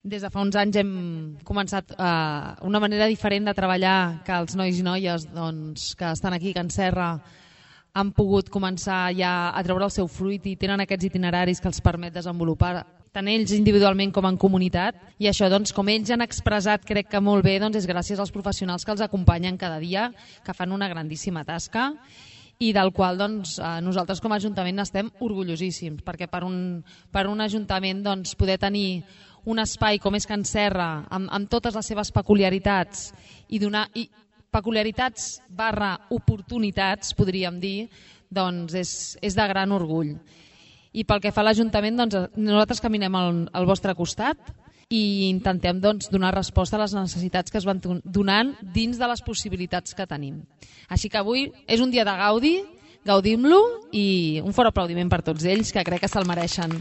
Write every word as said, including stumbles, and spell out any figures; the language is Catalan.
Des de fa uns anys hem començat eh, una manera diferent de treballar, que els nois i noies doncs, que estan aquí a Can Serra han pogut començar ja a treure el seu fruit i tenen aquests itineraris que els permet desenvolupar tant ells individualment com en comunitat, i això, doncs, com ells han expressat, crec que molt bé, doncs, és gràcies als professionals que els acompanyen cada dia, que fan una grandíssima tasca i del qual doncs, nosaltres com a Ajuntament estem orgullosíssims, perquè per un, per un Ajuntament doncs, poder tenir un espai com és Can Serra, amb, amb totes les seves peculiaritats, i donar i peculiaritats barra oportunitats, podríem dir, doncs és, és de gran orgull. I pel que fa a l'Ajuntament, doncs, nosaltres caminem al, al vostre costat i intentem doncs, donar resposta a les necessitats que es van donant dins de les possibilitats que tenim. Així que avui és un dia de gaudi, gaudim-lo i un fort aplaudiment per tots ells, que crec que se'l mereixen.